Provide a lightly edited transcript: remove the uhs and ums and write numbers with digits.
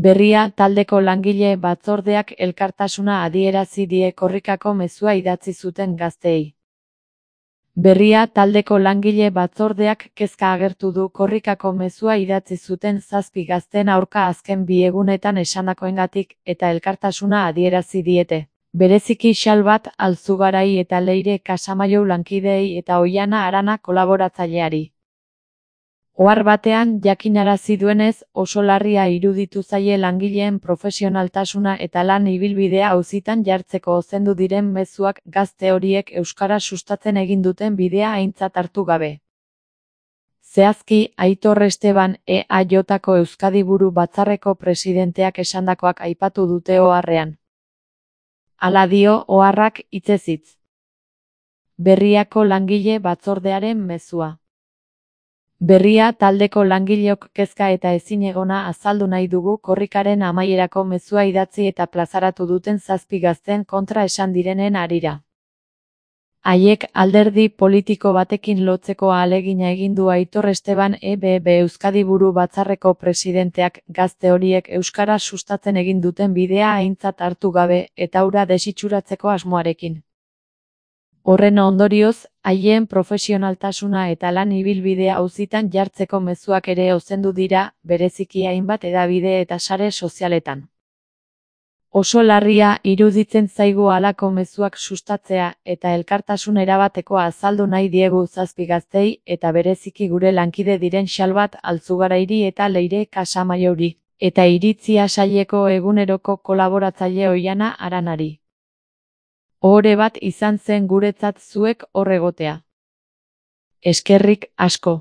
Berria taldeko langile batzordeak elkartasuna adierazi die korrikako mezua idatzi zuten gazteei. Berria taldeko langile batzordeak kezka agertu du korrikako mezua idatzi zuten 7 gazteen aurka azken 2 egunetan esandakoengatik eta elkartasuna adierazi diete. Bereziki Xalbat Alzugarai eta Leire Casamajou lankideei eta Oihana Arana kolaboratzaileari. Ohar batean jakinarazi duenez, oso larria iruditu zaie langileen profesionaltasuna eta lan ibilbidea auzitan jartzeko ozendu diren mezuak gazte horiek euskara sustatzen egin duten bidea aintzat hartu gabe. Zehazki, Aitor Esteban EAJko Euskadi Buru Batzarreko presidenteak esandakoak aipatu dute oharrean. Hala dio oharrak hitzez hitz. Berriako langile batzordearen mezua. Berria taldeko langileok kezka eta ezinegona azaldu nahi dugu korrikaren amaierako mezua idatzi eta plazaratu duten 7 gazteen kontra esan direnen harira. Haiek alderdi politiko batekin lotzeko ahalegina egin du Aitor Esteban EBB Euskadi Buru Batzarreko presidenteak gazte horiek euskara sustatzen egin duten bidea aintzat hartu gabe eta hura desitxuratzeko asmoarekin. Horren ondorioz, haien profesionaltasuna eta lan ibilbidea auzitan jartzeko mezuak ere ozendu dira, bereziki hainbat hedabide eta sare sozialetan. Oso larria iruditzen zaigu halako mezuak sustatzea eta elkartasun erabateko azaldu nahi diegu 7 gaztei eta bereziki gure lankide diren Xalbat Alzugarairi eta Leire Casamajouri, eta iritzia saileko eguneroko kolaboratzaile Oihana Aranari. Ohore bat izan zen guretzat zuek hor egotea. Eskerrik asko.